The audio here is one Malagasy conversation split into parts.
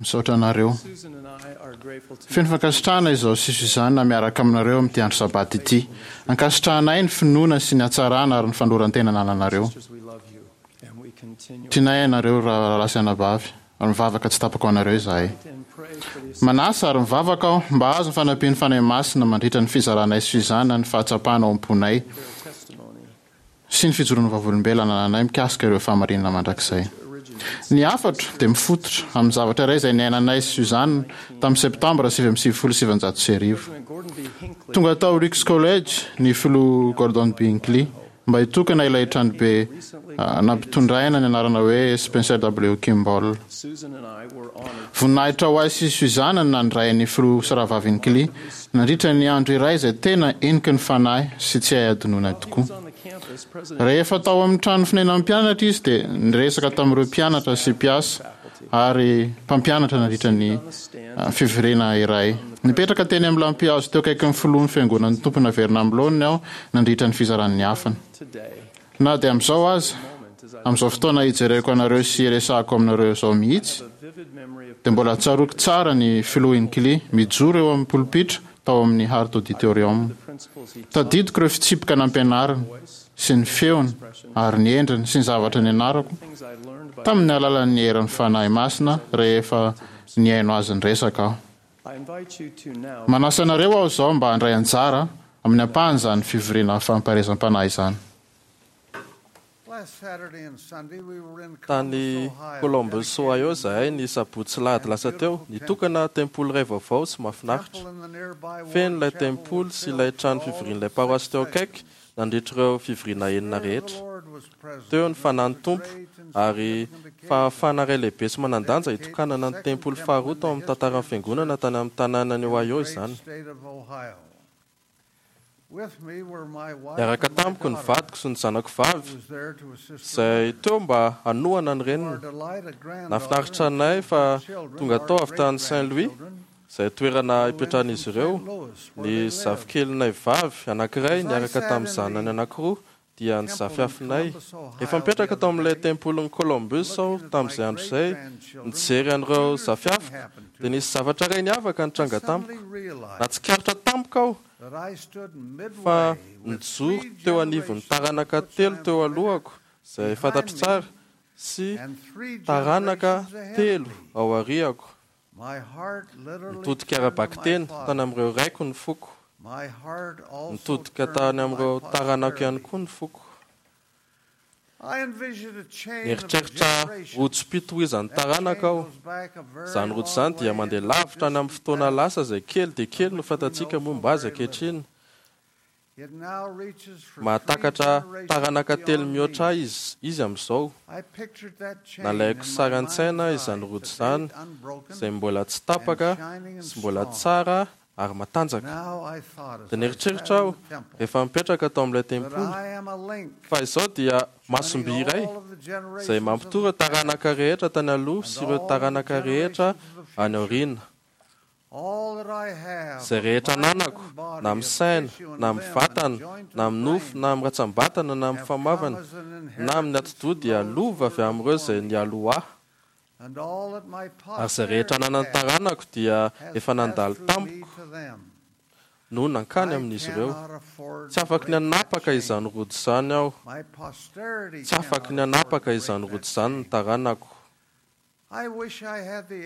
Misaotra anareo. Feno fankasitrahana izaho sy Suzanne miaraka aminareo amin'ity andro Sabata ity. Ankasitrahanay ny finoana sy ny hatsarana ary ny fanoloran-tena anananareo. Tianay ianareo rahalahy sy anabavy, ary mivavaka tsy tapaka ho anareo izahay. Manasa ary mivavaka aho mba hahazo ny fanampian'ny Fanahy Masina mandritra ny fizaranay sy Suzanne ny fahatsapana ao am-ponay sy ny fijoroan'ny vavolombelona anananay mikasika ireo fahamarinana mandrakizay. Ny hafatro dia mifototra amin'ny zavatra iray izay niainanay sy Suzanne tamin'ny Septambra 1999. Tonga tao Ricks College ny Filoha Gordon B. Hinckley mba hitokana ilay tranobe nampitondraina ny anarana hoe Spencer W. Kimball. Voninahitra ho ahy sy Suzanne ny nandray ny Filoha sy Rahavavy Hinckley nandritra ny andro iray izay tena heniky ny fanahy sy tsy hay hadinoina tokoa. Rehefa tao amin'ny trano fonenan'ny mpianatra izy dia niresaka tamin'ireo mpianatra sy mpiasa ary mpampianatra nandritra ny fivoriana iray. Nipetraka teny amin'ny lampihazo teo akaikin'ny filohan'ny Fiangonan'ny Tompo naverina amin'ny laoniny aho nandritra ny fizaran'ny hafany. Na dia amin'izao aza, amin'izao fotoana ijereko anareo sy iresahako aminareo izao mihitsy, dia mbola tsaroako tsara ny Filoha Hinckley mijoro eo amin'ny polipitra tao amin'ny Hart Auditorium. Tadidiko ireo fitsipika nampianariny sy ny feony ary ny endriny sy ny zavatra nianarako tamin'ny alalan'ny herin'ny Fanahy Masina rehefa nihaino azy niresaka aho. Manasa anareo aho izao mba handray anjara amin'ny ampahan'izany fivoriana fampaherezam-panahy izany. Tany Columbus, Ohio izahay ny sabotsy sy lahady lasa teo, nitokana tempoly iray vaovao sy mahafinaritra. Feno ilay tempoly sy ilay trano fivorian'ilay paroasy teo akaiky nandritra ireo fivoriana enina rehetra. Teo ny Fanahin'ny Tompo, ary fahafahana iray lehibe sy manan-danja hitokanana ny tempoly faharoa tao amin'ny tantaran'ny Fiangonana tany amin'ny tanànan'i Ohio izany. Niaraka tamiko ny vadiko sy ny zanako vavy, izay teo mba hanohana ny reniny. Nahafinaritra anay fa tonga tao avy tany Saint Louis, izay toerana ipetrahan'izy ireo, ny zafikelinay vavy anankiray niaraka tamin'ny zanany anankiroa, dia ny zafiafinay. Efa nipetraka tao amin'ilay tempolin'i Columbus aho tamin'izay andro izay, nijery an'ireo zafiafiko, dia nisy zavatra iray niavaka nitranga tamiko. Nahatsikaritra tampoka aho fa nijoro teo anivon'ny taranaka telo teo alohako, izay fantatro tsara, sy taranaka telo aoriako. Nitodika ara-bakiteny tany amin'ireo raiko ny foko. Nitodika tany amin'ireo taranako ihany koa ny foko. Nieritreritra rojom-pitohizan'ny taranaka aho. Izany rojo izany dia mandeha lavitra any amin'ny fotoana lasa izay kely dia kely no fantatsika momba azy ankehitriny. Mahatakatra taranaka telo mihoatra ahy izy amin'izao. Nalaiko sary an-tsaina izany rojo izany, izay mbola tsy tapaka sy mbola tsara ary matanjaka. Dia nieritreritra aho, rehefa nipetraka tao amin'ilay tempoly, fa izao dia masom-by iray, izay mampitohy ireo taranaka rehetra tany aloha sy ireo taranaka rehetra any aoriana. Izay rehetra ananako, na amin'ny saina, na amin'ny vatana, na amin'ny nofo, na amin'ny rantsambatana, na amin'ny famavana, na amin'ny atidoha dia lova avy amin'ireo izay nialoha ahy. Ary izay rehetra ananan'ny taranako dia efa nandalo tamiko no nankany amin'izy ireo. Tsy afaky ny hanapaka izany rojo izany aho. Tsy afaky ny hanapaka izany rojo izany ny taranako.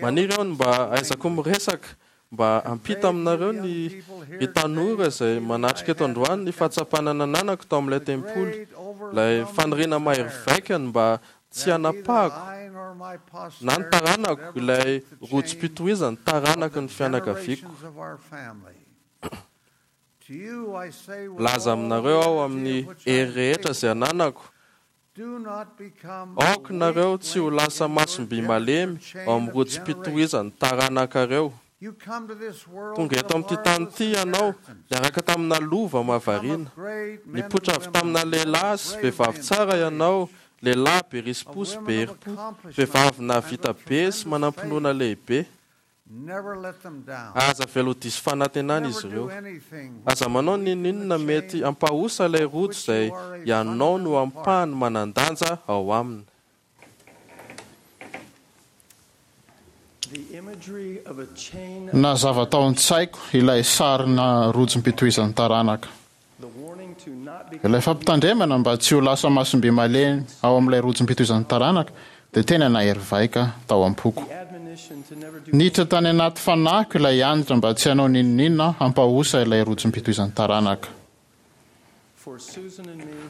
Maniry aho ny mba hahaizako miresaka mba hampita aminareo ny ry tanora izay manatrika eto androany ny fahatsapana nananako tao amin'ilay tempoly, ilay faniriana mahery vaika ny mba tsy hanapahako na ny taranako ilay rojom-pitohizan'ny taranaky ny fianakaviako. Milaza aminareo aho amin'ny hery rehetra izay ananako Aoka nareo tsy ho lasa masom-by malemy ao amin'ny rojom-pitohizan'ny taranakareo. Tonga eto amin'ity tany ity ianao niaraka tamina lova mahavariana. Nipoitra avy tamina lehilahy sy vehivavy tsara ianao, lehilahy be risi-po sy be herim-po, vehivavy nahavita be sy manam-pinoana lehibe. Aza avela ho diso fanantenana izy ireo. Aza manao n'inon'inona mety hampahosa ilay rojo izay ianao no ampahany manan-danja ao aminy. Nazava tao an-tsaiko ilay sarina rojom-pitohizan'ny taranaka. Ilay fampitandremana mba tsy ho lasa masom-by malemy ao amin'ilay rojom-pitohizan'ny taranaka dia tena nahery vaika tao am-poko. Niditra tany anaty fanahiko ilay anatra mba tsy hanao n'inon'inona hampahosa ilay rojom-pitohizan'ny taranaka.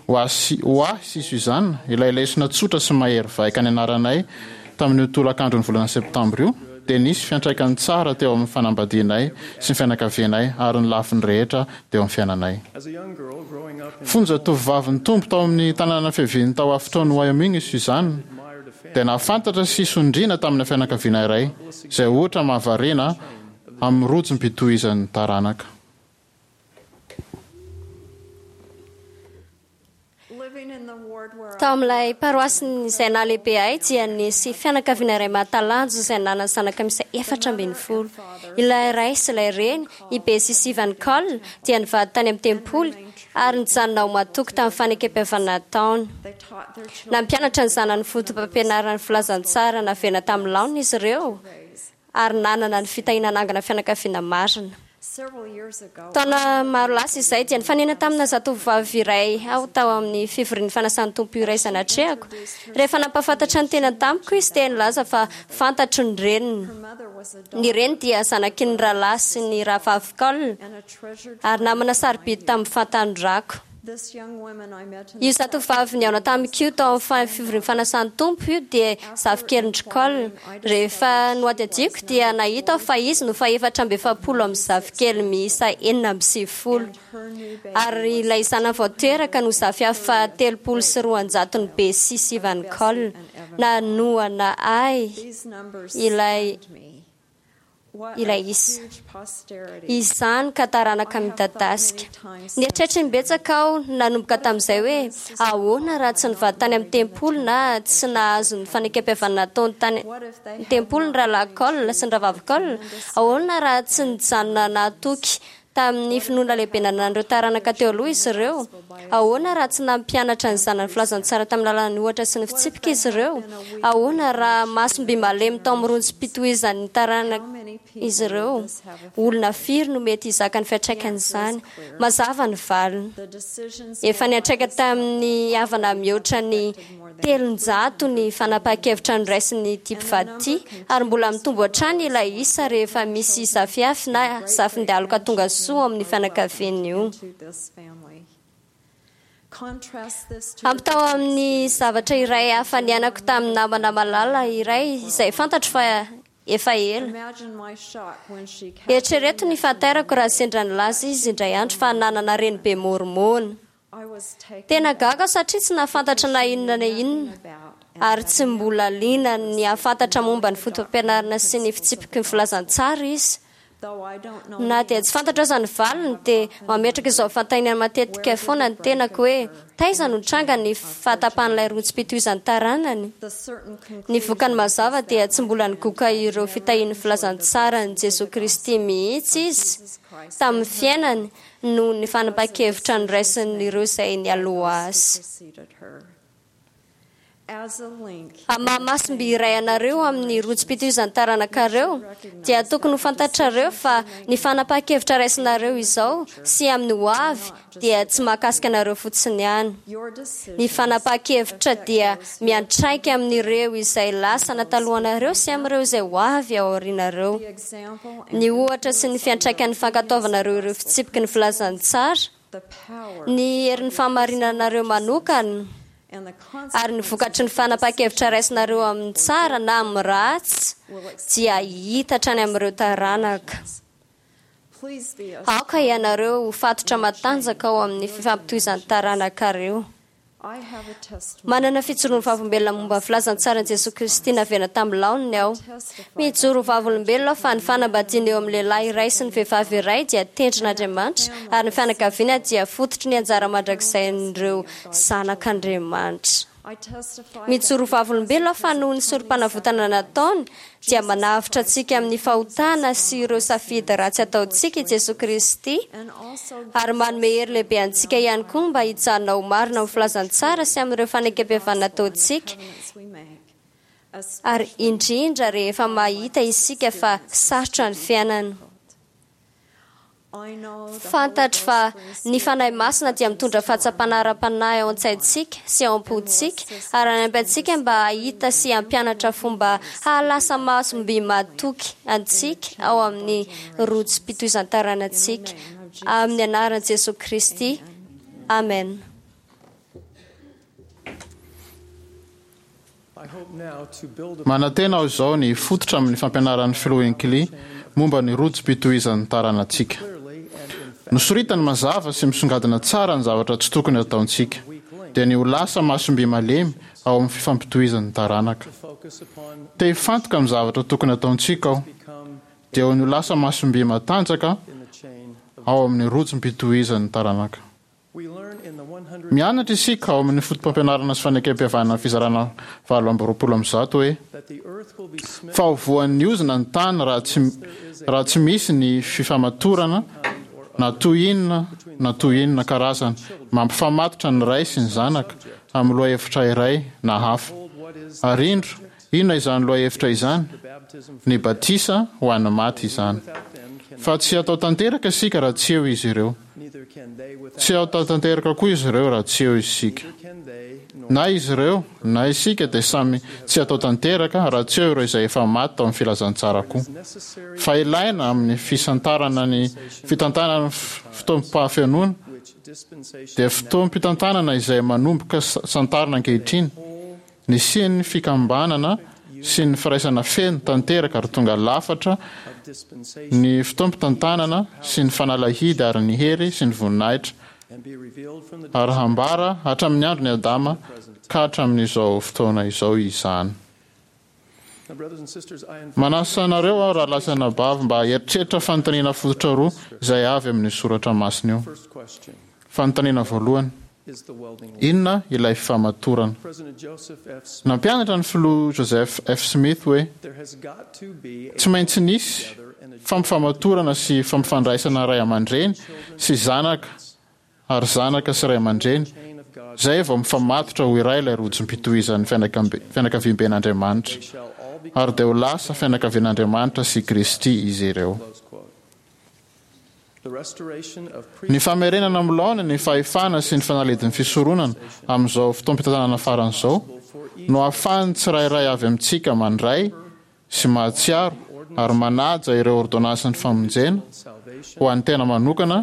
Ho ahy sy ho ahy sy Suzanne, ilay lesona tsotra sy mahery vaika nianaranay tamin'io tolakandron'ny volana Septambra io dia nisy fiantraikany tsara teo amin'ny fanambadianay sy ny fianakavianay ary ny lafiny rehetra teo amin'ny fiainanay. Fony zatovovavy nitombo tao amin'ny tanàna fiaviany tao afotoan'i Wyoming i Suzanne, dia nahafantatra sy sondriana tamina fianakaviana iray izay ohatra mahavariana amin'ny rojom-pitohizan'ny taranaka. Tao amin'ilay paroasy izay nahalehibe ahy dia nisy fianakaviana iray mahatalanjona izay nanana zanaka miisa 14. Ilay ray sy ilay reny, i Bessie sy Ivan Cole, dia nivady tany amin'ny tempoly ary nijanona ho matoky tamin'ny fanekempihavanana nataony. Nampianatra ny zanany fotopampianaran'ny filazantsara naverina tamin'ny laoniny izy ireo ary nanana ny fitahiana hanangana fianakaviana marina. Taona maro lasa izay dia nifanena tamina zatovovavy iray aho tao amin'ny fivorian'ny fanasan'ny Tompo iray izay natrehako. Rehefa nampahafantatra ny tenany tamiko izy dia nilaza fa fantatro ny reniny. Ny reny dia zanaky ny rahalahy sy ny rahavavy Cole ary namana sarobidy tamin'ny fahatanorako. Io zatovovavy nihaona tamiko io tao amin'ny fivorian'ny fanasan'ny Tompo io dia zafikelin-dry Cole. Rehefa nohadihadiako dia nahita aho fa izy no faha-44 amin'ny zafikely miisa 96. Ary ilay zanany vao teraka no zafiafy faha-230 Bessie sy Ivan Cole. Nanohana ahy ilay. ilay isa. Izany ka taranaka midadasika. Nieritreritra imbetsaka aho nanomboka tamin'izay hoe, 'Ahoana raha tsy nivady tany amin'ny tempoly na tsy nahazo ny fanekempihavanana nataony tany amin'ny tempoly ny Rahalahy Cole sy ny Rahavavy Cole? Ahoana raha tsy nijanona nahatoky Tamin'ny finoana lehibe nananan'ireo taranaka teo aloha izy ireo. Ahoana raha tsy nampianatra ny zanany filazantsara tamin'ny alalan'ny ohatra sy ny fitsipika izy ireo? Ahoana raha masom-by malemy tao amin'ny ronjom-pitohizan'ny taranaka izy ireo? Olona firy no mety hizaka ny fiantraikan'izany? Mazava ny valiny. Efa niantraika tamin'ny havana mihoatra ny 300 ny fanapahan-kevitra noraisin'ity mpivady ity ary mbola mitombo hatrany ilay isa rehefa misy zafiafy na zafin-dialoka tonga soa ao amin'ny fianakaviany io. Ampitao amin'ny zavatra iray hafa niainako tamin'ny namana malala iray izay fantatro fa efa ela. Eritrereto ny fahatairako raha sendra nilaza izy indray andro fa nanana renibe môrmôna. Tena gaga aho satria tsy nahafantatra na inona na inona ary tsy mbola liana ny hahafantatra momba ny fotopampianarana sy ny fitsipiky ny filazantsara izy. Na dia tsy fantatro aza ny valiny dia mametraka izao fanontaniana matetika foana ny tenako hoe, Taiza no nitranga ny fahatapahan'ilay rojom-pitohizan'ny taranany? Ny vokany mazava dia tsy mbola nigoka ireo fitahian'ny filazantsaran'i Jesoa Kristy mihitsy izy tamin'ny fiainany noho ny fanapahan-kevitra noraisin'ireo izay nialoha azy. Amin'ny maha-masom-by iray anareo amin'ny rojom-pitohizan'ny taranakareo, dia tokony ho fantatrareo fa ny fanapahan-kevitra raisinareo izao sy amin'ny ho avy dia tsy mahakasika anareo fotsiny ihany. Ny fanapahan-kevitra dia miantraika amin'ireo izay lasana talohanareo sy amin'ireo izay ho avy ao aorianareo. Ny ohatra sy ny fiantraikan'ny fankatoavanareo ireo fitsipiky ny filazantsara, ny herin'ny fahamarinanareo manokana, ary ny vokatry ny fanapahan-kevitra raisinareo amin'ny tsara na amin'ny ratsy dia hita hatrany amin'ireo taranaka. Aoka ianareo ho fatotra matanjaka ao amin'ny fifampitohizan'ny taranakareo. Manana fijoroan'ny vavolombelona momba ny filazantsaran'i Jesoa Kristy naverina tamin'ny laoniny aho. Mijoro ho vavolombelona aho fa ny fanambadiana eo amin'ny lehilahy iray sy ny vehivavy iray dia tendrin'Andriamanitra ary ny fianakaviana dia fototry ny anjara mandrakizain'ireo zanak'Andriamanitra. Mijoro ho vavolombelona aho fa noho ny sorompanavotana nataony dia manavotra antsika amin'ny fahotana sy ireo safidy ratsy ataontsika i Jesoa Kristy ary manome hery lehibe antsika ihany koa mba hijanona ho marina amin'ny filazantsara sy amin'ireo fanekempihavanana ataontsika. Ary indrindra rehefa mahita isika fa sarotra ny fiainana. Fantatro fa ny Fanahy Masina dia mitondra fahatsapana ara-panahy ao an-tsaintsika sy ao am-pontsika ary hanampy antsika mba hahita sy hampianatra fomba hahalasa masom-by mahatoky antsika ao amin'ny rojom-pitohizan-taranantsika. Amin'ny anaran'i Jesoa Kristy, amena. Manantena aho izao ny hifototra amin'ny fampianaran'ny Filoha Hinckley momba ny rojom-pitohizan'ny taranantsika. Nosoritany mazava sy misongadina tsara ny zavatra tsy tokony hataontsika, dia ny ho lasa masom-by malemy ao amin'ny fifampitohizan'ny taranaka. Te hifantoka amin'ny zavatra tokony hataontsika aho, dia ny ho lasa masom-by matanjaka ao amin'ny rojom-pitohizan'ny taranaka. Mianatra isika ao amin'ny Fotopampianarana sy Fanekempihavanana fizarana 128 hoe, Fa ho voan'ny ozona ny tany raha tsy raha tsy misy ny fifamatorana na toy inona na toy inona karazany mampifamatotra ny ray sy ny zanaka amin'ny lohahevitra iray na hafa. Ary indro, inona izany lohahevitra izany? Ny batisa ho an'ny maty izany. Fa tsy hatao tanteraka isika raha tsy eo izy ireo. Tsy hatao tanteraka koa izy ireo raha tsy eo isika. Na izy ireo na isika dia samy tsy hatao tanteraka raha tsy eo ireo izay efa maty tao amin'ny filazantsara koa. Fa ilaina amin'ny fisantarana ny fitantanana ny fotoam-pahafenoana dia fotoam-pitantanana izay manomboka santarina ankehitriny Nisian'ny fikambanana sy ny firaisana feno tanteraka ary tonga lafatra ny fotoampitantanana sy ny fanalahidy ary ny hery sy ny voninahitra ary hambara hatramin'ny andron'i Adama ka hatramin'izao fotoana izao izany. Manasa anareo aho rahalahy sy anabavy mba hieritreritra fanontaniana fototra roa izay avy amin'io soratra masina io. Fanontaniana voalohany, Inona ilay fifamatorana? Nampianatra ny Filoha Joseph F. Smith hoe, Tsy maintsy nisy fampifamatorana sy fampifandraisana ray aman-dreny sy zanaka ary zanaka sy ray aman-dreny, izay vao mifamatotra ho iray ilay rojom-pitohizan'ny fianakaviamben'Andriamanitra, ary dia ho lasa fianakavian'Andriamanitra sy Kristy izy ireo. Ny famerenana amin'ny laoniny ny fahefana sy ny fanalahidin'ny fisoronana amin'izao fotoam-pitantanana farany izao no ahafahan'ny tsirairay avy amintsika mandray sy mahatsiaro ary manaja ireo ôrdônansin'ny famonjena ho an'ny tena manokana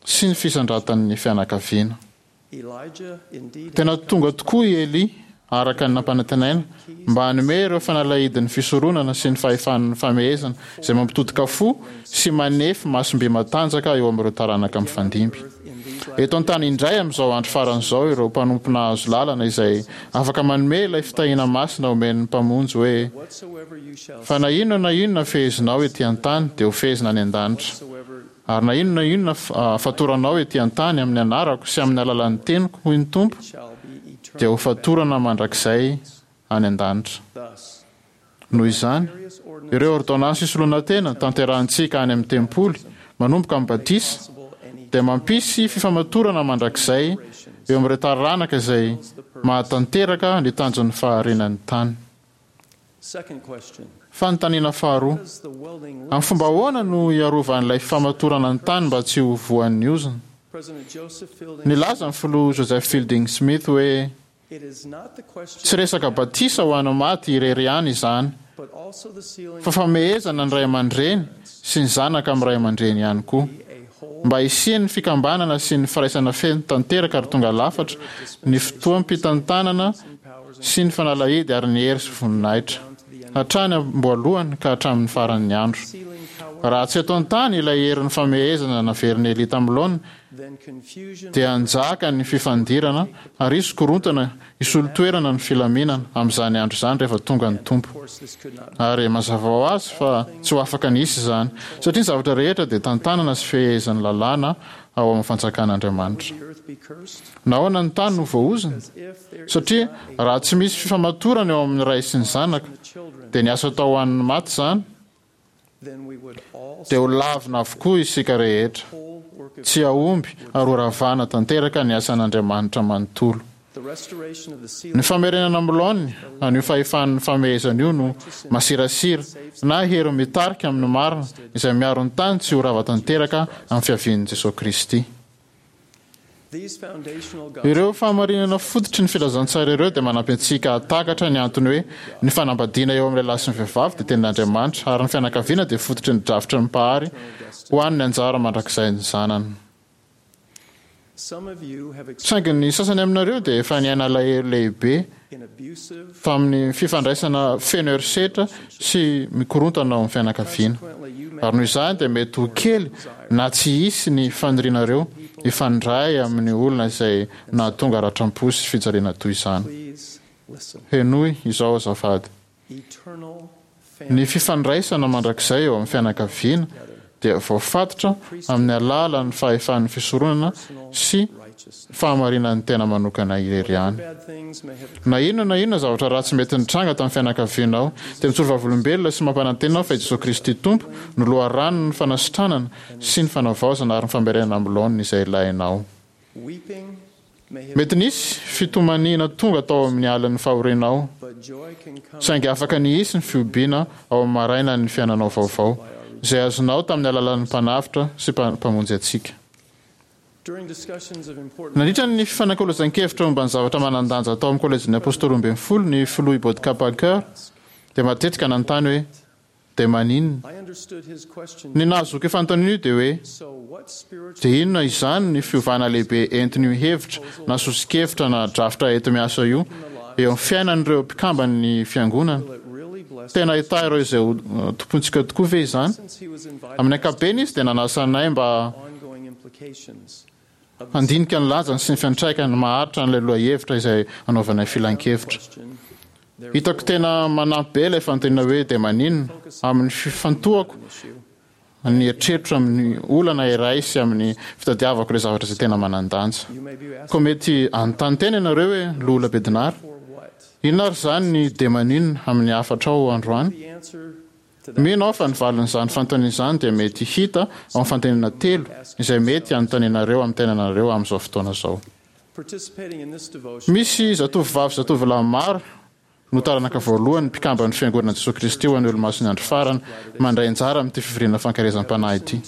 sy ny fisandratan'ny fianakaviana. Tena tonga tokoa i Elia, araka ny nampanantenaina, mba hanome ireo fanalahidin'ny fisoronana sy ny fahefan'ny famehezana izay mampitodika fo sy manefy masom-by matanjaka eo amin'ireo taranaka mifandimby. Eto an-tany indray amin'izao andro farany izao ireo mpanompo nahazo lalana izay afaka manome ilay fitahiana masina omen'ny Mpamonjy hoe, Fa na inona na inona fehezinao ety an-tany dia hofehezina any an-danitra, ary na inona na inona fatoranao ety an-tany amin'ny anarako sy amin'ny alalan'ny teniko, hoy ny Tompo, dia hofatorana mandrakizay any an-danitra. Noho izany, ireo ôrdônansy isoloana tena tanterahintsika any amin'ny tempoly, manomboka amin'ny batisa, dia mampisy fifamatorana mandrakizay eo amin'ireo taranaka izay mahatanteraka ny tanjon'ny fahariana ny tany. Fanontaniana faharoa, Amin'ny fomba ahoana no hiarovan'ilay fifamatorana ny tany mba tsy ho voan'ny ozona? Nilaza ny Filoha Joseph Fielding Smith hoe, Tsy resaka batisa ho an'ny maty irery ihany izany, fa famehezana ny ray aman-dreny sy ny zanaka amin'ny ray aman-dreny ihany koa, mba hisian'ny fikambanana sy ny firaisana feno tanteraka ary tonga lafatra ny fotoam-pitantanana sy ny fanalahidy ary ny hery sy voninahitra, hatrany am-boalohany ka hatramin'ny faran'ny andro. Raha tsy eto an-tany ilay herin'ny famehezana naverin'i Elia tamin'ny laoniny, dia hanjaka ny fifandirana ary hisy korontana hisolo toerana ny filaminana amin'izany andro izany rehefa tonga ny Tompo. Ary mazava ho azy fa tsy ho afaka ny hisy izany, satria ny zavatra rehetra dia tantanana sy fehezin'ny lalàna ao amin'ny fanjakan'Andriamanitra. Nahoana ny tany no voaozona? Satria raha tsy misy fifamatorana eo amin'ny Ray sy ny Zanaka, dia ny asa atao ho an'ny maty izany, dia ho lavina avokoa isika rehetra. Tsy hahomby ary ho ravana tanteraka ny asan'Andriamanitra manontolo. Ny famerenana amin'ny laoniny an'io fahefan'ny famehezana io no masirasira na hery mitarika amin'ny marina izay miaro ny tany tsy ho rava tanteraka amin'ny fiavian'i Jesoa Kristy. Ireo fahamarinana fototry ny filazantsara ireo dia manampy antsika hahatakatra ny antony hoe ny fanambadiana eo amin'ny lehilahy sy ny vehivavy dia tenin'Andriamanitra ary ny fianakaviana dia fototry ny drafitry ny Mpahary ho an'ny anjara mandrakizain'ny zanany. Saingy ny sasany aminareo dia efa niaina alahelo lehibe tamin'ny fifandraisana feno herisetra sy mikorontana ao amin'ny fianakaviana. Ary noho izany dia mety ho kely na tsy hisy ny fanirianareo hifandray amin'ny olona izay nahatonga ratram-po sy fijaliana toy izany. Henoy izao azafady. Ny fifandraisana mandrakizay eo amin'ny fianakaviana dia voafatotra amin'ny alalan'ny fahefan'ny fisoronana sy fahamarinan'ny tena manokana irery ihany. Na inona na inona zavatra ratsy mety nitranga tamin'ny fianakavianao, dia mijoro vavolombelona sy mampanantena aho fa i Jesoa Kristy Tompo no loharanon'ny fanasitranana sy ny fanavaozana ary ny famerenana amin'ny laoniny izay ilainao. Mety nisy fitomaniana tonga tao amin'ny alin'ny fahorianao, saingy afaka ny hisy ny fihobiana ao amin'ny marainan'ny fiainanao vaovao, izay azonao tamin'ny alalan'ny Mpanavotra sy Mpamonjy antsika. Nandritra ny fifanakalozan-kevitra momba ny zavatra manan-danja tao amin'ny Kôlejin'ny Apôstôly Roambinifolo, ny Filoha Ibodka Parker dia matetika nanontany hoe, Dia maninona? Ny nahazoako io fanontaniana io dia hoe, dia inona izany ny fiovana lehibe entin'io hevitra na soso-kevitra na drafitra enti-miasa io eo amin'ny fiainan'ireo mpikamban'ny Fiangonana? Tena hitahy ireo izay ho tompointsika tokoa ve izany? Amin'ny ankapobeny izy dia nanasa anay mba handinika ny lanjany sy ny fiantraikany maharitra an'ilay lohahevitra izay anaovanay filankevitra. Hitako tena manampy be ilay fanontaniana hoe dia maninona? amin'ny fifantohako ny eritreritro amin'ny olana iray sy amin'ny fitadiavako ireo zavatra izay tena manan-danja. Koa mety hanontany tena ianareo hoe, Loholona Bednar, inona ary izany ny dia maninona amin'ny hafatrao androany? Mino aho fa ny valin'izany fanontaniana izany dia mety hita ao amin'ny fanontaniana telo izay mety hanontanianareo amin'ny tenanareo amin'izao fotoana izao. Misy zatovovavy sy zatovolahy maro no taranaka voalohany mpikamban'ny Fiangonana Jesoa Kristy ho an'ny Olomasin'ny Andro Farany mandray anjara amin'ity fivoriana fankaherezam-panahy ity.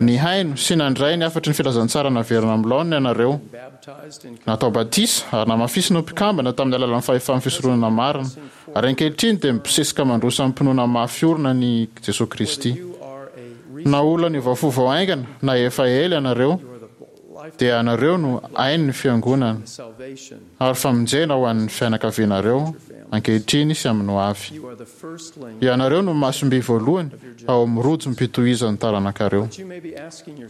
Nihaino sy nandray ny hafatry ny filazantsara naverina amin'ny laoniny ianareo. Natao batisa ary namafisina ho mpikambana tamin'ny alalan'ny fahefan'ny fisoronana marina. Ary ankehitriny dia mibosesika mandroso amim-pinoana mafy orina an'i Jesoa Kristy. Na olona niova fo vao haingana na efa ela ianareo, dia ianareo no ain'ny Fiangonana ary famonjena ho an'ny fianakavianareo ankehitriny sy amin'ny ho avy. Ianareo no masom-by voalohany ao amin'ny rojom-pitohizan'ny taranakareo.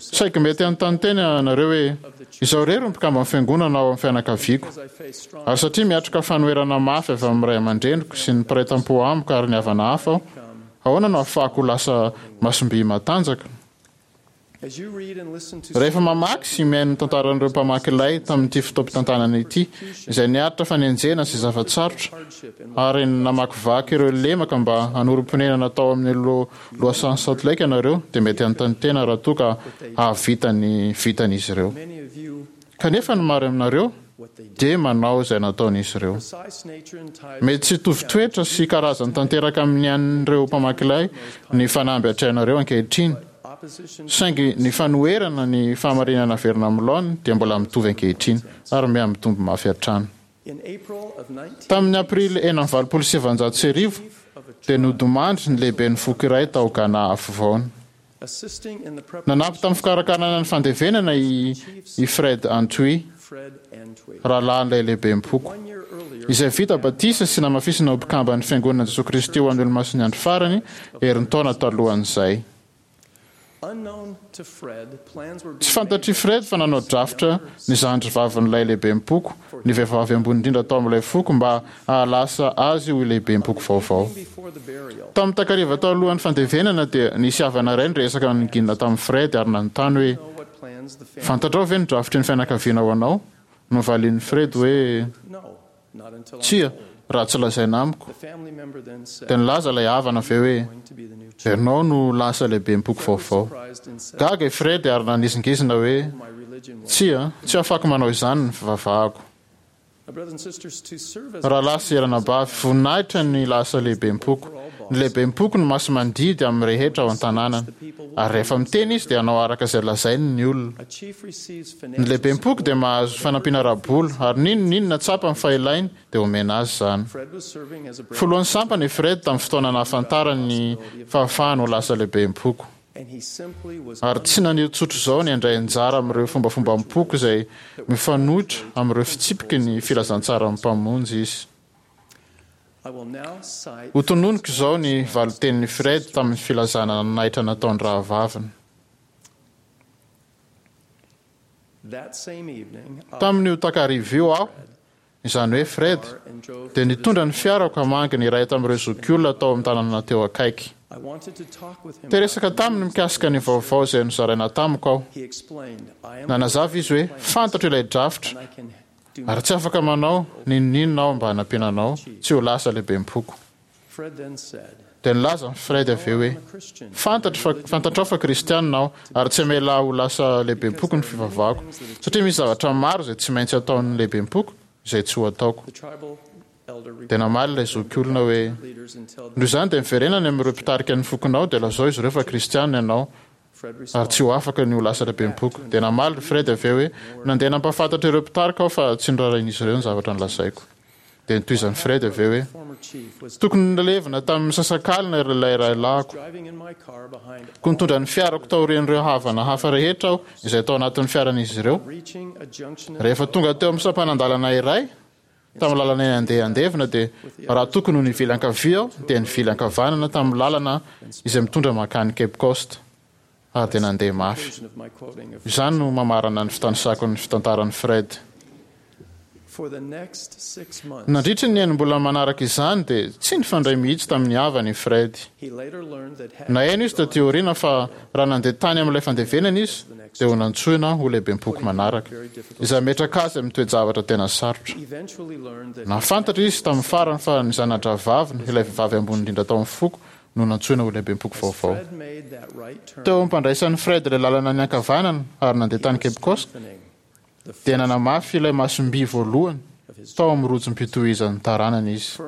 Saiky mety hanontany tena ianareo hoe, Izaho irery no mpikamban'ny Fiangonana ao amin'ny fianakaviako. Ary satria miatrika fanoherana mafy avy amin'ny ray aman-dreniko sy ny mpiray tampo amiko ary ny havana hafa aho, ahoana no ahafahako ho lasa masom-by matanjaka? Rehefa mamaky sy mihaino ny tantaran'ireo mpamaky lay tamin'ity fotoampitantanana ity, izay niaritra fanenjehana sy zava-tsarotra, ary namakivaky ireo lemaka mba hanorim-ponenana tao amin'ny lohasahan'i Salt Lake ianareo, dia mety hanontany tena raha toa ka hahavita ny vitan'izy ireo. Kanefa ny maro aminareo dia manao izay nataon'izy ireo. Mety tsy hitovy toetra sy karazany tanteraka amin'ny an'ireo mpamaky lay ny fanamby atrehinareo ankehitriny, saingy ny fanoherana ny fahamarinana averina amin'ny laoniny dia mbola mitovy ankehitriny ary miha-mitombo mafy hatrany. Tamin'ny Aprily 1986 dia nodimandry ny lehiben'ny foko iray tao Ghana Afovoany. Nanampy tamin'ny fikarakarana ny fandevenana i i Fred Antwi, rahalahin'ilay lehibem-poko, izay vita batisa sy namafisina ho mpikamban'ny Fiangonana Jesoa Kristy ho an'ny Olomasin'ny Andro Farany herintaona talohan'izay. Tsy fantatr'i Fred fa nanao drafitra ny zandrivavin'ilay lehibem-poko, ny vehivavy ambony indrindra tao amin'ilay foko mba hahalasa azy ho lehibem-poko vaovao. Tamin'ny takariva talohan'ny fandevenana dia nisy havana iray niresaka nangina tamin'i Fred ary nanontany hoe, Fantatrao ve ny drafitry ny fianakaviana ho anao? Novalian'i Fred hoe, Tsia, raha tsy lazaina amiko. Dia nilaza ilay havana avy eo hoe, Ianao no lasa lehibem-poko vaovao. Gaga i Fred ary nanizingizina hoe, Tsia, tsy afako manao izany ny fivavahako. Rahalahy sy ranabavy, voninahitra ny lasa lehibem-poko. Ny lehibem-poko no masi-mandidy amin'ny rehetra ao an-tanànany. Ary rehefa miteny izy dia hanao araka izay lazainy ny olona. Ny lehibem-poko dia mahazo fanampiana ara-bola, ary n'inon'inona tsapany fa ilainy dia omena azy izany. Filohan'ny sampana i Fred tamin'ny fotoana nahafantarany ny fahafahany ho lasa lehibem-poko. Ary tsy naneho tsotr'izao ny handray anjara amin'ireo fombafombam-poko izay mifanohitra amin'ireo fitsipiky ny filazantsaran'ny Mpamonjy izy. Hotononiko izao ny valin-tenin'i Fred tamin'ny filazana nanaitra nataon'ny rahavaviny. Tamin'io takariva io aho izany hoe Fred, dia nitondra ny fiarako hamangy ny iray tamin'ireo zokiolona tao amin'ny tanàna teo akaiky. Te-hiresaka taminy mikasika ny vaovao izay nozaraina tamiko aho. Nanazava izy hoe, Fantatro ilay drafitra, ary tsy afaka manao n'inon'inona aho mba hanampiana anao tsy ho lasa lehibem-poko. Dia nilaza Fred avy eo hoe, Fantatro fa, fantatrao fa Kristianina aho, ary tsy hamela ahy ho lasa lehibem-poko ny fivavahako, satria misy zavatra maro izay tsy maintsy ataon'ny lehibem-poko izay tsy ho ataoko. Dia namaly ilay zokiolona hoe, Noho izany dia miverena any amin'ireo mpitarika ny fokonao dia lazao izy ireo fa Kristianina ianao, ary tsy ho afaka ny ho lasa lehibem-poko. Dia namaly ry Fred avy eo hoe, Nandeha nampahafantatra ireo mpitarika aho fa tsy noraharahian'izy ireo ny zavatra nolazaiko. Dia notohizan'i Fred avy eo hoe, Tokony nilevina tamin'ny misasakalina ilay rahalahiko. Koa nitondra ny fiarako taorian'ireo havana hafa rehetra aho izay tao anatin'ny fiaran'izy ireo. Rehefa tonga teo amin'ny sampanan-dalana iray, tamin'ny lalana handeha handevina dia raha tokony ho nivily ankavia aho dia nivily ankavanana tamin'ny lalana izay mitondra mankany Cape Coast ary dia nandeha mafy. Izany no mamarana ny fitanisako ny fitantaran'i Fred. Nandritry ny enim-bolana manaraka izany dia tsy nifandray mihitsy tamin'ny havany i Fred. Naheno izy taty aoriana fa raha nandeha tany amin'ilay fandevenana izy dia ho nantsoina ho lehibem-poko manaraka, izay hametraka azy amin'ny toe-javatra tena sarotra. Nahafantatra izy tamin'ny farany fa ny zana-drahavaviny, ilay vehivavy ambony indrindra tao amin'ny foko, no nantsoina ho lehibem-poko vaovao. Teo am-pandraisan'i Fred ilay lalana niankavanana ary nandeha tany Cape Coast, dia nanamafy ilay masom-by voalohany tao amin'ny rojom-pitohizan'ny taranany izy.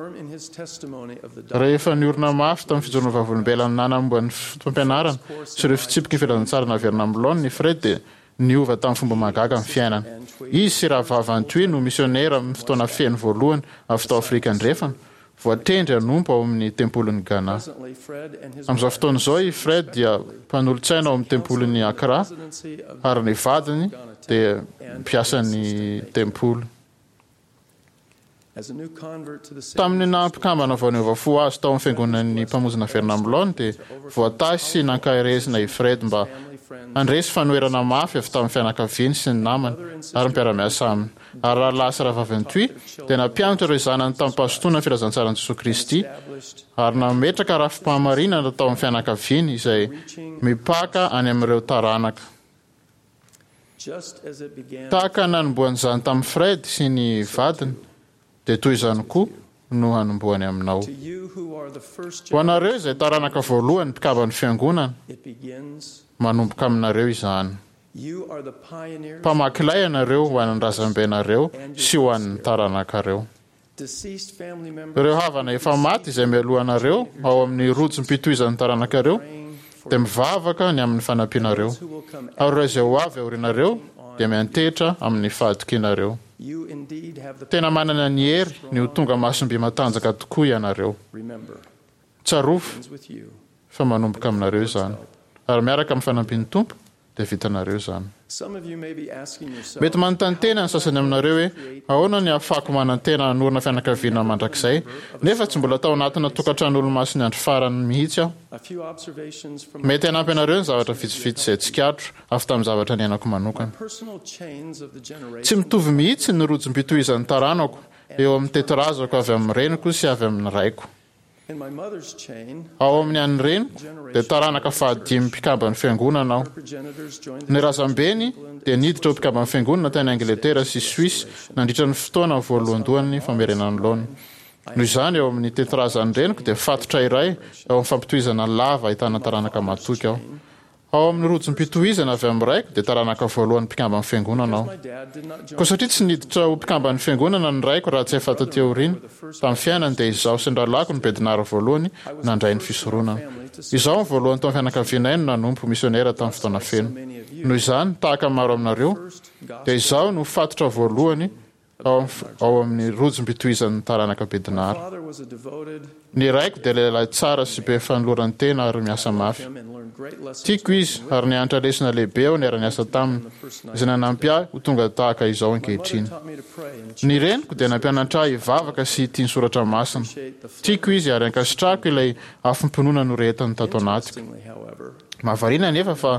Rehefa niorina mafy tamin'ny fijoroana vavolombelona nanamboa ny fotopampianarana sy ireo fitsipiky ny filazantsara naverina amin'ny laoniny i Fred dia niova tamin'ny fomba mahagaga ny fiainany. Izy sy Rahavavy Antwi no misionera amin'ny fotoana feno voalohany avy tao Afrika Andrefana Voatendry hanompo ao amin'ny Tempolin'i Ghana. Amin'izao fotoana izao i Fred dia mpanolotsaina ao amin'ny Tempolin'i Accra ary ny vadiny dia mpiasan'ny tempoly. Tamin'ny naha mpikambana vao niova fo azy tao amin'ny Fiangonan'ny Mpamonjy Naverina amin'ny Laoniny dia voatahy sy nankaherezina i Fred mba handresy fanoherana mafy avy tamin'ny fianakaviany sy ny namany ary ny mpiara-miasa aminy. Ary rahalahy sy rahavavy Antwi dia nampianatra ireo zanany tamim-pahazotoana ny filazantsaran'i Jesoa Kristy ary nametraka rafi-pahamarinana tao amin'ny fianakaviany izay mipaka any amin'ireo taranaka. Tahaka ny nanombohan'izany tamin'i Fred sy ny vadiny dia toy izany koa no hanombohany aminao. Ho anareo izay taranaka voalohany mpikamban'ny Fiangonana, manomboka aminareo izany. Mpamaky lay ianareo ho an'ny razambenareo sy ho an'ny taranakareo. Ireo havana efa maty izay mialoha anareo ao amin'ny rojom-pitohizan'ny taranakareo dia mivavaka ny amin'ny fanampianareo, ary ireo izay ho avy aorianareo dia miantehitra amin'ny fahatokianareo. Tena manana ny hery ny ho tonga masom-by matanjaka tokoa ianareo. Tsarovy fa manomboka aminareo izany, ary miaraka amin'ny fanampian'ny Tompo dia vitanareo izany. Mety manontany tena ny sasany aminareo hoe, 'Ahoana ny ahafahako manantena hanorina fianakaviana mandrakizay, nefa tsy mbola tao anatina tokantrano Olomasin'ny Andro Farany mihitsy aho? Mety hanampy anareo ny zavatra vitsivitsy izay tsikaritro avy tamin'ny zavatra niainako manokana. Tsy mitovy mihitsy ny rojom-pitohizan'ny taranako eo amin'ny tetirazako avy amin'ny reniko sy avy amin'ny raiko. Ao amin'ny an'ny reniko dia taranaka fahadimy mpikamban'ny Fiangonana aho. Ny razambeny dia niditra ho mpikamban'ny Fiangonana tany Angletera sy Suisse nandritra ny fotoana voalohandohan'ny famerenana ny laoniny. Noho izany, eo amin'ny tetirazan'ny reniko dia fatotra iray ao amin'ny fampitohizana lava ahitana taranaka matoky aho. Ao amin'ny rojom-pitohizana avy amin'ny raiko dia taranaka voalohan'ny mpikamban'ny Fiangonana aho. Koa satria tsy niditra ho mpikamban'ny Fiangonana ny raiko raha tsy efa taty aoriana tamin'ny fiainany dia izaho sy ny rahalahiko no bedinara voalohany nandray ny fisoronana. Izaho no voalohany tao amin'ny fianakavianay no nanompo ho misionera tamin'ny fotoana feno. Noho izany, tahaka ny maro aminareo, dia izaho no fatotra voalohany ao ao amin'ny rojom-pitohizan'ny taranaka Bednara. Ny raiko dia lehilahy tsara sy be fanoloran-tena ary miasa mafy. Tiako izy ary nianatra lesona lehibe aho niara-niasa taminy, izay nanampy ahy ho tonga tahaka izao ankehitriny. Ny reniko dia nampianatra ahy hivavaka sy hitia ny soratra masina. Tiako izy ary ankasitrahako ilay afom-pinoana norehetany tato anatiko. Mahavariana anefa fa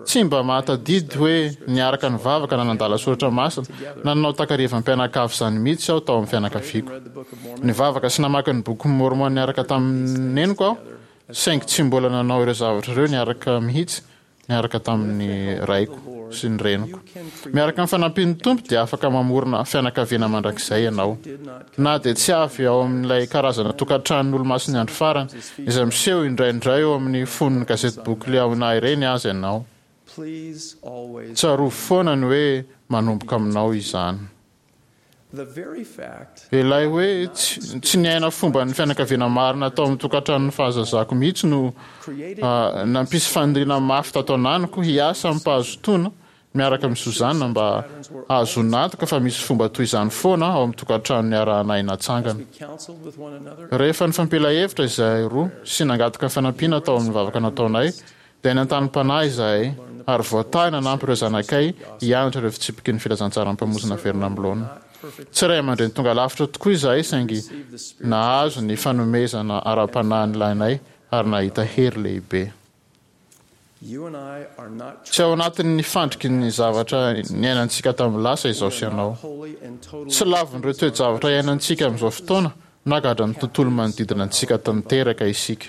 tsy mba mahatadidy hoe niaraka nivavaka na nandala soratra masina na nanao takarivam-pianakavy izany mihitsy aho tao amin'ny fianakaviako. Nivavaka sy namaky ny Bokin'i Môrmôna niaraka tamin'ny neniko aho, saingy tsy mbola nanao ireo zavatra ireo niaraka mihitsy niaraka tamin'ny raiko sy ny reniko. Miaraka amin'ny fanampian'ny Tompo dia afaka mamorona fianakaviana mandrakizay ianao. Na dia tsy avy ao amin'ilay karazana tokantranon'ny Olomasin'ny Andro Farany izay miseho indraindray eo amin'ny fonon'ny gazetiboky Liahona ireny aza ianao, tsarovy foana ny hoe manomboka aminao izany. Ilay hoe tsy niaina fomban'ny fianakaviana marina tao amin'ny tokantranon'ny fahazazako mihitsy no nampisy faniriana mafy tato ananiko hiasa amim-pahazotoana miaraka amin'i Susanna mba hahazoana antoka fa misy fomba toy izany foana ao amin'ny tokantrano niarahanay natsangana. Rehefa nifampila hevitra izahay roa sy nangataka fanampiana tao amin'ny vavaka nataonay, dia nentanim-panahy izahay ary voatahy nanampy ireo zanakay hianatra ireo fitsipiky ny filazantsaran'ny Mpamonjy naverina amin'ny laoniny. Tsy ray aman-dreny tonga lafatra tokoa izahay saingy nahazo ny fanomezana ara-panahy nilainay ary nahita hery lehibe. Tsy ao anatin'ny fandriky ny zavatra niainantsika tamin'ny lasa izaho sy ianao. Tsy lavin'ireo toe-javatra iainantsika amin'izao fotoana na gadran'ny tontolo manodidina antsika tanteraka isika.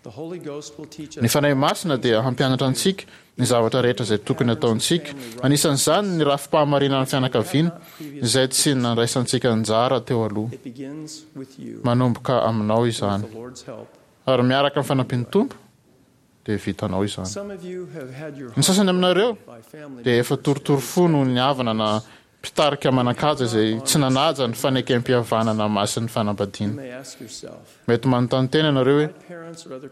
Ny Fanahy Masina dia hampianatra antsika ny zavatra rehetra izay tokony hataontsika, anisan'izany ny rafi-pahamarinan'ny fianakaviana izay tsy nandraisantsika anjara teo aloha. Manomboka aminao izany. Ary miaraka amin'ny fanampian'ny Tompo, dia vitanao izany. Ny sasany aminareo dia efa torotoro fo noho ny havana na mpitarika manan-kaja izay tsy nanaja ny fanekempihavanana masin'ny fanambadiana. Mety manontany tena ianareo hoe,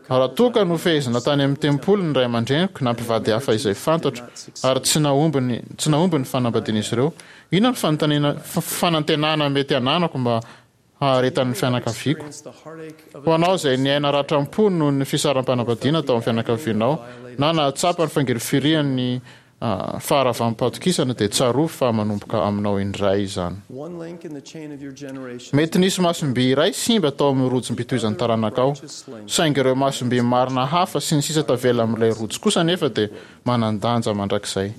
Raha toa ka nofehezina tany amin'ny tempoly ny ray aman-dreniko na mpivady hafa izay fantatro ary tsy nahomby ny tsy nahomby ny fanambadian'izy ireo, inona no fanontaniana fanantenana mety hananako mba haharetan'ny fianakaviako. Ho anao izay niaina ratram-po noho ny fisaram-panambadiana tao amin'ny fianakavianao, na nahatsapa ny fangirifirian'ny faharavam-patokisana, dia tsarovy fa manomboka aminao indray izany. Mety nisy masom-by iray simba tao amin'ny rojom-pitohizan'ny taranakao, saingy ireo masom-by marina hafa sy ny sisa tavela amin'ilay rojo kosa anefa dia manan-danja mandrakizay.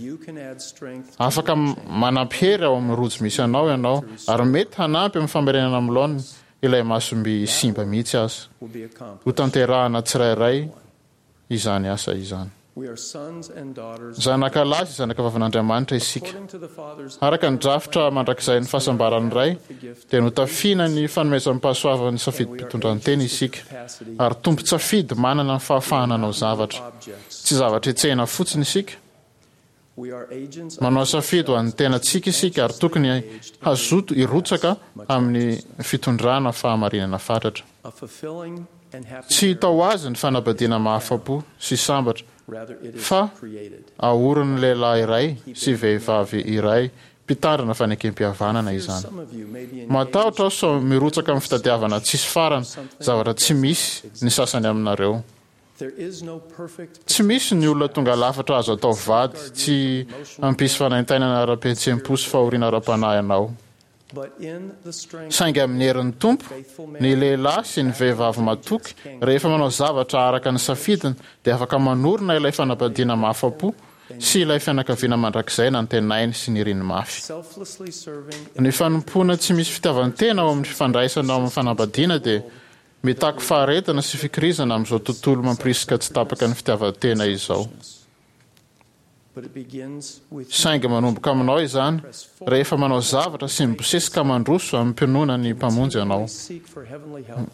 Afaka manampy hery ao amin'ny rojo misy anao ianao, ary mety hanampy amin'ny famerenana amin'ny laoniny ilay masom-by simba mihitsy aza. Hotanterahana tsirairay izany asa izany. Zanaka lahy sy zanaka vavin'Andriamanitra isika. Araka ny drafitra mandrakizain'ny fahasambaran'ny Ray, dia notafiana ny fanomezam-pahasoavan'ny safidim-pitondrantena isika, ary tompon-tsafidy manana ny fahafahana hanao zavatra. Tsy zavatra hetsehina fotsiny isika. Manao safidy ho an'ny tenantsika isika ary tokony hazoto hirotsaka amin'ny fitondrana fahamarinana fatratra. Tsy hita ho azy ny fanambadiana mahafa-po sy sambatra fa aorin'ny lehilahy iray sy vehivavy iray mpitandrina fanekempihavanana izany. Matahotra aho sao mirotsaka amin'ny fitadiavana tsisy farany zavatra tsy misy ny sasany aminareo. Tsy misy ny olona tonga lafatra azo atao vady tsy hampisy fanaintainana ara-pihetseham-po sy fahoriana ara-panahy anao. Saingy amin'ny herin'ny Tompo, ny lehilahy sy ny vehivavy matoky, rehefa manao zavatra araka ny safidiny, dia afaka manorina ilay fanambadiana mahafa-po sy ilay fianakaviana mandrakizay nantenainy sy niriny mafy. Ny fanompoana tsy misy fitiavan-tena ao amin'ny fifandraisana ao amin'ny fanambadiana dia Mitaky faharetana sy fikirizana amin'izao tontolo mampirisika tsy tapaka ny fitiavan-tena izao. Saingy manomboka aminao izany rehefa manao zavatra sy mibosesika mandroso amim-pinoana ny Mpamonjy ianao.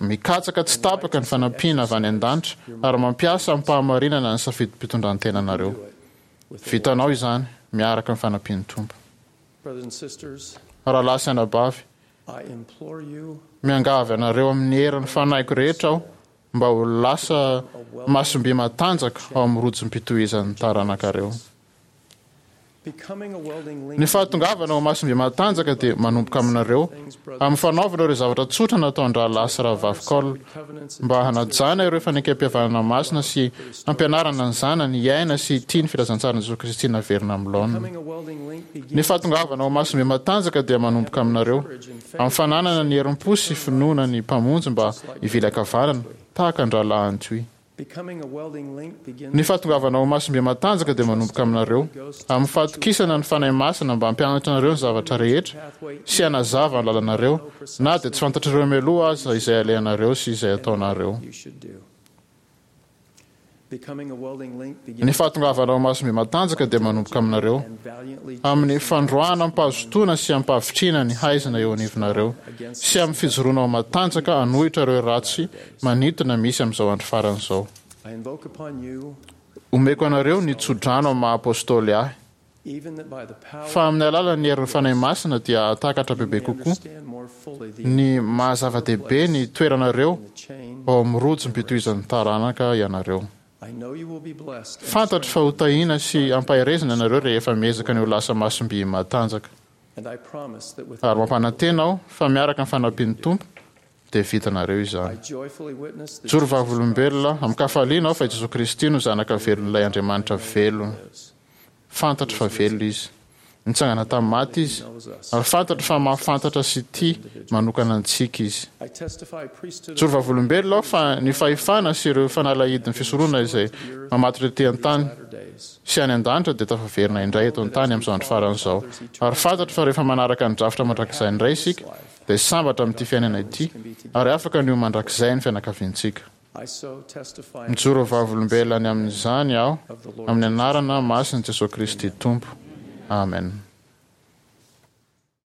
Mikatsaka tsy tapaka ny fanampiana avy any an-danitra ary mampiasa amim-pahamarinana ny safidim-pitondran-tenanareo. Vitanao izany miaraka amin'ny fanampian'ny Tompo. Rahalahy sy anabavy, miangavy anareo amin'ny herin'ny fanahiko rehetra aho mba ho lasa masom-by matanjaka ao amin'ny rojom-pitohizan'ny taranakareo. Ny fahatongavana ho masom-by matanjaka dia manomboka aminareo, amin'ny fanaovana ireo zavatra tsotra nataon-drahalahy sy rahavavy Cole, mba hanajana ireo fanekempihavanana masina sy hampianarana ny zanany hiaina sy hitia ny filazantsaran'i Jesoa Kristy naverina amin'ny laoniny. Ny fahatongavana ho masom-by matanjaka dia manomboka aminareo, amin'ny fananana ny herim-po sy finoana ny Mpamonjy mba hivily ankavanana, tahaka an-drahalahy Antwi. Ny fahatongavana ho masom-by matanjaka dia manomboka aminareo, amin'ny fahatokisana ny Fanahy Masina mba hampianatra anareo ny zavatra rehetra sy hanazava ny lalanareo, na dia tsy fantatrareo mialoha aza izay alehanareo sy izay ataonareo. Ny fahatongavana ho masom-by matanjaka dia manomboka aminareo, amin'ny fandroahana amim-pahazotoana sy amim-pahavitrihana ny haizina eo anivonareo, sy amin'ny fijoroana ho matanjaka hanohitra ireo ratsy manintona misy amin'izao andro farany izao. Omeko anareo ny tsodrano amin'ny maha-apôstôly ahy. Fa amin'ny alalan'ny herin'ny Fanahy Masina dia hahatakatra bebe kokoa ny maha-zava-dehibe ny toeranareo ao amin'ny rojom-pitohizan'ny taranaka ianareo. Fantatro fa hotahiana sy hampaherezina ianareo rehefa miezaka ny ho lasa masom-by matanjaka. Ary mampanantena aho fa miaraka amin'ny fanampian'ny Tompo dia vitanareo izany. Mijoro vavolombelona amin-kafaliana aho fa i Jesoa Kristy no Zanaka velon'ilay Andriamanitra velona. Fantatro fa velona Izy. Nitsangana tamin'ny maty Izy, ary fantatro fa mahafantatra sy tia manokana antsika Izy. Mijoro vavolombelona aho fa ny fahefana sy ireo fanalahidin'ny fisoronana izay mamatotra ety an-tany sy any an-danitra dia tafaverina indray eto an-tany amin'izao andro farany izao. Ary fantatro fa rehefa manaraka ny drafitra mandrakizay indray isika, dia sambatra amin'ity fiainana ity ary afaka ny ho mandrakizay ny fianakaviantsika. Mijoro ho vavolombelona ny amin'izany aho amin'ny anarana masin'i Jesoa Kristy Tompo. Amen.